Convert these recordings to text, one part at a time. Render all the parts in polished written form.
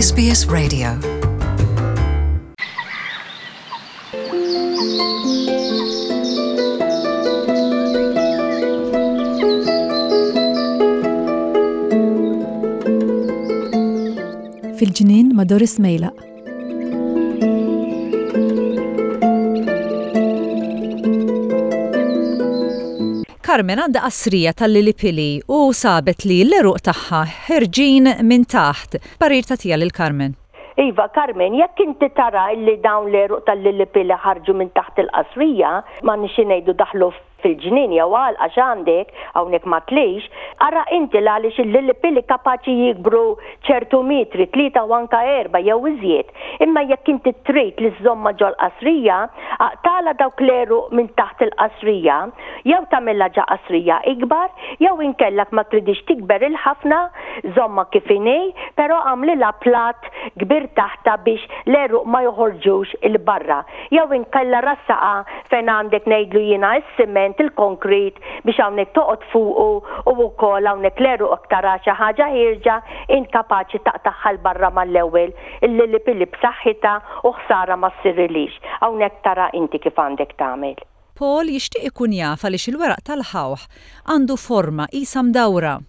SBS Radio. Fil-ġnien ma' Doris Mejlaq. Carmen għandha qasrija tal-lilipili u sabet li l-għeruq tagħha ħerġin minn taħt. Parir tagħtiha lil Carmen. Iva, Carmen, jekk inti tara illi dawn l-għeruq tal-lilipili ħarġu minn taħt il-qasrija, m'għandniex xi ngħidu daħlu fil-ġnien jew għalqa x'għandek, hawnhekk ma tlix, ara inti l-għaliex il-lilipili kapaċi jikbru ċertu metri, tlieta u anka erba' jew iżjed. Imma jekk inti trid li żżommha ġol-qasrija, aqtagħlha dawk l-għeruq minn taħt il-qasrija, jew tagħmilha ġa qasrija ikbar, jew inkella ma tridhiex tikber il-ħafna, żommha kif inhi, però agħmlilha platt kbir taħtha biex l-għeruq ma joħorġux 'il barra. Jew inkella rassaqha fejn għandek ngħidlu jiena s-siment, il-konkrit biex hawnhekk toqgħod fuqu u wkoll hawnhekk l-għeruq jekk tara xi ħaġa ħierġa int kapaċi taqtagħha 'l barra mal-ewwel, il-lilipili b'saħħitha u ħsara ma ssirilhiex. Hawnhekk tara inti kif għandek tagħmel. Paul jixtieq ikun jaf għaliex il-weraq tal-ħawħ għandu forma qisha mdawra.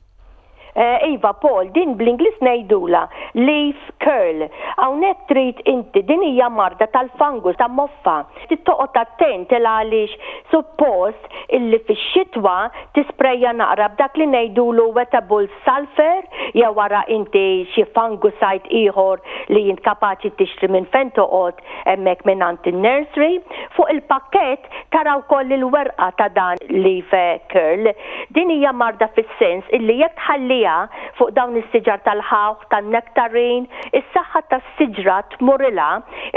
Iva Paul, din bl-Ingliż ngħidulha leaf curl. Hawnhekk trid inti, din hija marda tal-fungus, ta' moffa. Trid toqgħod attent il għaliex suppost illi fix-xitwa tisprejja naqra b'dak li ngħidulu wettable sulphur jew ara inti xi fungicide ieħor li int kapaċi tixtri minn fejn toqgħod hemmhekk mingħand in-nursery. Fuq il-pakkett tara wkoll il-werqa ta' dan leaf curl. Din hija marda fis-sens illi jekk tħalliha fuq dawn is-siġar tal-ħawħ, tan-nectarine, is-saħħa tas-siġra tmurilha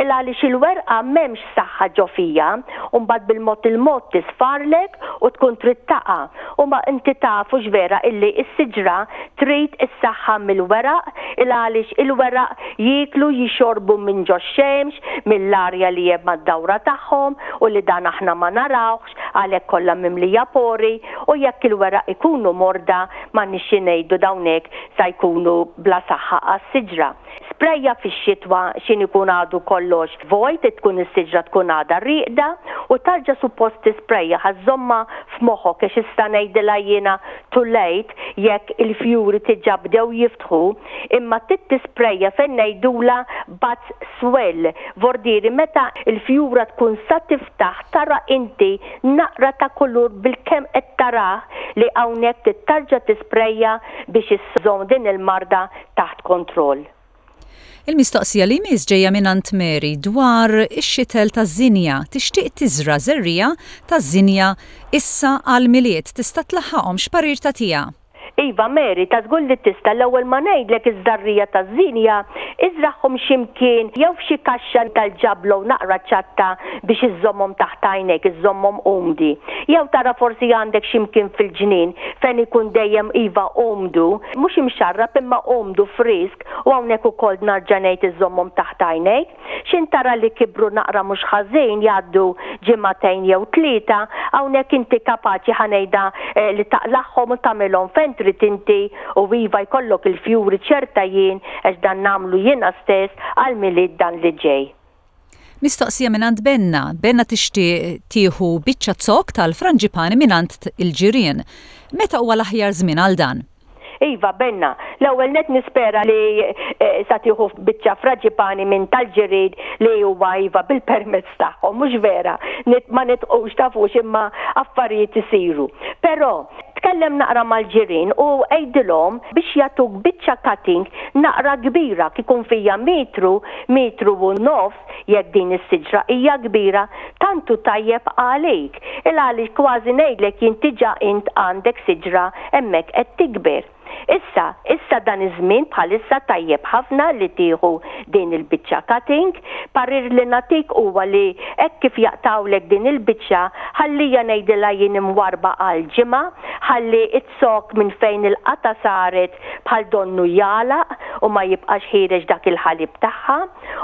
il għaliex il-werqa m'hemmx saħħa ġo fiha u mbagħad bil-mod il-mod tisfarlek u tkun trid taqa' u ma inti taf hux vera illi s-siġra trid is-saħħa mill-weraq il għaliex il-weraq jieklu jixorbu minn ġox-xemx, mill-arja li hemm mad-dawra tagħhom u li dan aħna ma narawhx għalhekk kollha mimlija pori u jekk il-weraq ikunu morda m'għandniex xi ngħidu dawn hekk sa jkunu bla saħħa għas-siġra. Sprejja fix-xitwa x'in ikun għadu kollox vojt tkun is-siġra tkun għadha rieqda u tarġa' suppost tisprejja ħa żżommha f'moħħok għax issa ngħidilha jiena too late jekk il-fjuri diġà bdew jiftħu imma trid tisprejja fejn ngħidulha buds swell vordieri meta l-fjura tkun sa tiftaħ tara inti naqra ta' kulur bilkemm qed tarah li hawnhekk trid tarġa' tisprejja biex iżżomm din il-marda taħt kontroll. Il-mistoqsija li jmiss ġejja mingħand Mary dwar ix-xitel taż-żinja. Tixtieq tiżra' żerriegħa taż-żinja issa għall-Milied. Tista' tlaħħaqhom? X'parir tagħtiha? Iva Mary, ta' żgur li tista'. L-ewwel ma ngħidlek iż-żarriegħa taż-żinja iżragħhom xi mkien jew f'xi kaxxa tal-ġablo naqra ċatta biex iżżommhom taħt għajnejk, iżżommhom umdi. Jew tara forsi għandek xi mkien fil-ġnien fejn ikun dejjem iva umdu, mhux imxarrab imma umdu frisk u hawnhekk ukoll narġa' ngħid iżżommhom taħt għajnejk. X'int tara li kibru naqra mhux ħażin jgħaddu ġimagħtejn jew tlieta, hawnhekk inti kapaċi ħa ngħidha li taqlagħhom u tagħmilhom fejn trid inti u iva jkollok il-fjuri ċerta jien għax dan nagħmlu jiena stess għall-Milied dan li ġej. Mistoqsija mingħand Benna. Benna tixtieq tieħu biċċa zokk tal-franġipani mingħand il-ġirien. Meta huwa l-aħjar żmien għal dan? Iva, Benna. L-ewwel nett nispera li sa tieħu biċċa fraġipani minn tal-ġirien li huwa iva bil-permess tagħhom, mhux vera? Ma nidħqux tafux imma affarijiet isiru. Però, tkellem naqra mal-ġirien u għidilhom biex jagħtuk biċċa cutting naqra kbira, kikun fija metru, metru u nofs, jekk din is-siġra hija kbira, tant hu tajjeb għalik. Il għaliex kważi ngħidlek jien diġà int għandek siġra hemmhekk qed tikber. Issa, issa dan iż-żmien bħalissa tajjeb ħafna li tieħu din il-biċċa cutting. Parir li nagħtik huwa li hekk kif jaqtgħulek din il-biċċa, ħallija ngħidilha jien imwarrba għal ġimgħa, ħalli z-zokk minn fejn il-qatgħa saret bħal donnu jagħlaq u ma jibqax ħiereġ dak il-ħalib tagħha.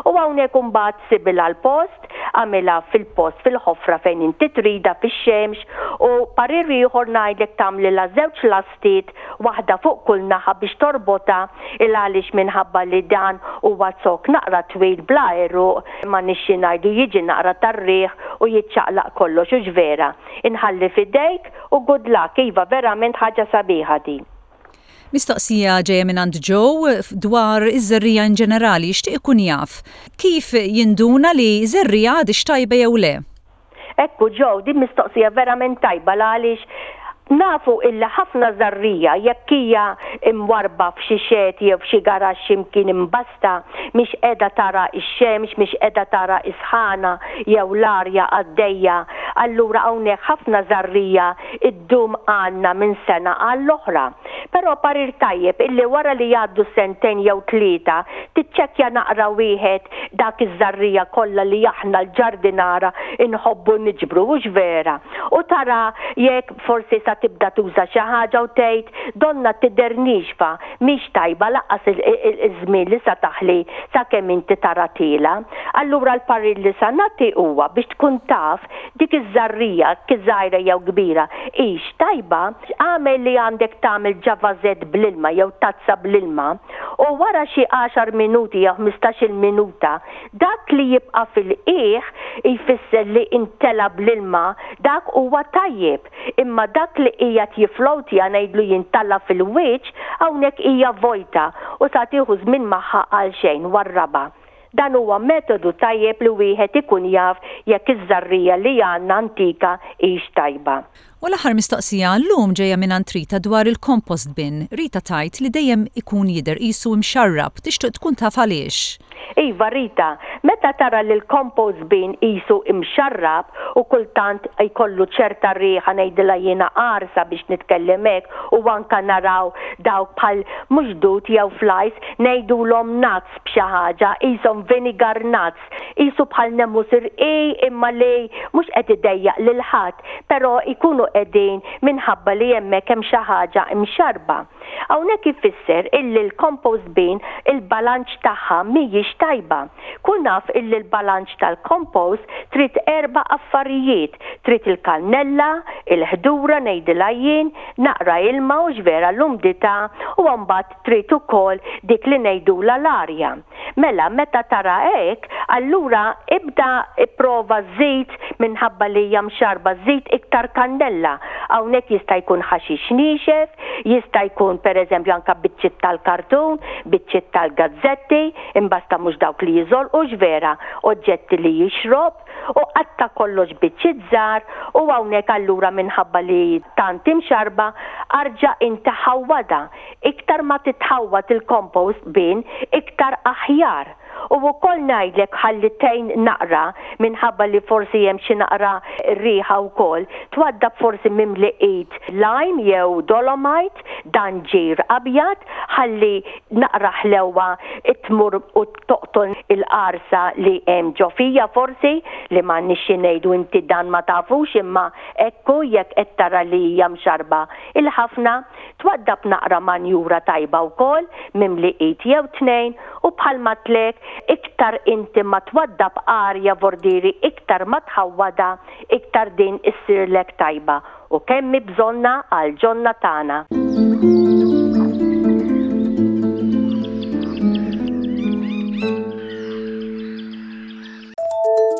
U hawnhekk imbagħad sibilha l-post, agħmilha fil-post fil-ħofra fejn inti tridha fix-xemx. U parir ieħor ngħidlek tagħmlilha żewġ lastiet waħda fuq kull naħa biex torbotha il għaliex minħabba li dan huwa zokk naqra twil bla għeruq m'għandniex xi ngħidu jiġi naqra tar-riħ u jiċċaqlaq kollox hux vera? Inħalli f'idejk u good luck iva verament ħaġa sabiħa din. Mistoqsija ġejja mingħand Joe dwar iż-żerriegħa in ġenerali, jixtieq ikun jaf kif jinduna li żerriegħa għadhiex tajba jew le. Ekku Joe, din mistoqsija verament tajba l-għaliex nafu illi ħafna żerriegħa jekk hija mwarrba f'xi xed jew f'xi garaxx xi mkien imbasta mhix qiegħda tara x-xemx, mhix qiegħda tara s-sħana jew l-arja għaddejja, allura hawnhekk ħafna żerriegħa ddum għandna minn sena għall-oħra. Però parir tajjeb illi wara li jgħaddu sentejn jew tlieta tiċċekkja naqra wieħed dak iż-żarrija kollha li aħna l-ġardinara nħobbu niġbru, hux vera? U tara jekk forsi sa tibda tuża xi ħaġa u tgħid donnha tidher niexfa, mhix tajba lanqas iż-żmien li sa taħli sakemm inti tara tiela'. Allura l-parir li sa nagħti huwa biex tkun taf Dik iż-żarrija, ki żgħira jew kbira, hix tajba, agħmel li għandek tagħmel ġa vażett bl-ilma jew tazza bl-ilma u wara xi għaxar minuti jew ħmistax-il minuta, dak li jibqa' fil-qiegħ jfisser li imtela bl-ilma, dak huwa tajjeb. Imma dak li qiegħed jifflowtja, ngħidlu jien tala' fil-wiċċ, hawnhekk hija vojta u sa tieħu żmien magħha għalxejn, warrabha. Dan huwa metodu tajjeb li wieħed ikun jaf jekk iż-żarrija li għandna antika hix tajba. U l-aħħar mistoqsija għal-lum ġejja mingħand Rita dwar il-compost bin. Rita tgħid li dejjem ikun jidher qisu imxarrab, tixtieq tkun taf għaliex. Iva Rita, meta tara li l-compost bin qisu imxarrab u kultant jkollu ċerta riħa ngħidilha jiena qarsa biex nitkellem hekk u anka naraw dawk bħal mhux dud jew flies ngħidulhom nuts b'xi ħaġa, qishom vinegar nuts, qisu bħal nemus irqiq imma li mhux qed idejjaq lil ħadd, però jkunu qegħdin minħabba li hemmhekk hemm xi ħaġa mxarrba. Hawnhekk ifisser illi l-compost bin il-balanċ tagħha mhijiex tajba. Kun af illi l-balanċ tal-compost trid erba' affarijiet, trid il-kannella, il-ħdura ngħidilha jien, naqra ilma hux vera l-umdità u mbagħad Trid ukoll dik li ngħidulha l-arja. Mela meta tara hekk, allura ibda ipprova żid minħabba li hija mxarrba żid iktar kannella. Hawnhekk jista' jkun ħaxix niexef, jista' jkun pereżempju anke biċċiet tal-kartun, biċċiet tal-gazzetti, imbasta mhux dawk li jiżolqu x'vera, oġġetti li jixrob, u qatta' kollox biċċiet żgħar u hawnhekk allura minħabba li tant imxarrba arġa' inti ħawwadha. Iktar ma titħawwad il-compost bin iktar aħjar. U wkoll ngħidlek ħalli tgħin naqra minħabba li forsi hemm xi naqra riħa wkoll, twaddab forsi mimli id lime jew dolomite, dan ġir abjad, ħalli naqra ħlewwa tmur u toqtol il-qarsa li hemm ġo fija forsi, li m'għandniex xi ngħidu inti dan ma tafux imma hekk hu jekk qed tara li hija mxarrba il-ħafna, twaddab naqra manjura tajba wkoll mimli id jew tnejn u bħal m'għedtlek iktar inti ma twaddab arja vordieri iktar ma tħawwadha iktar din issirlek tajba u kemm hi bżonnha għall-ġonna tagħna.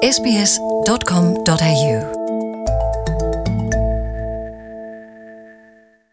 sbs.com.au.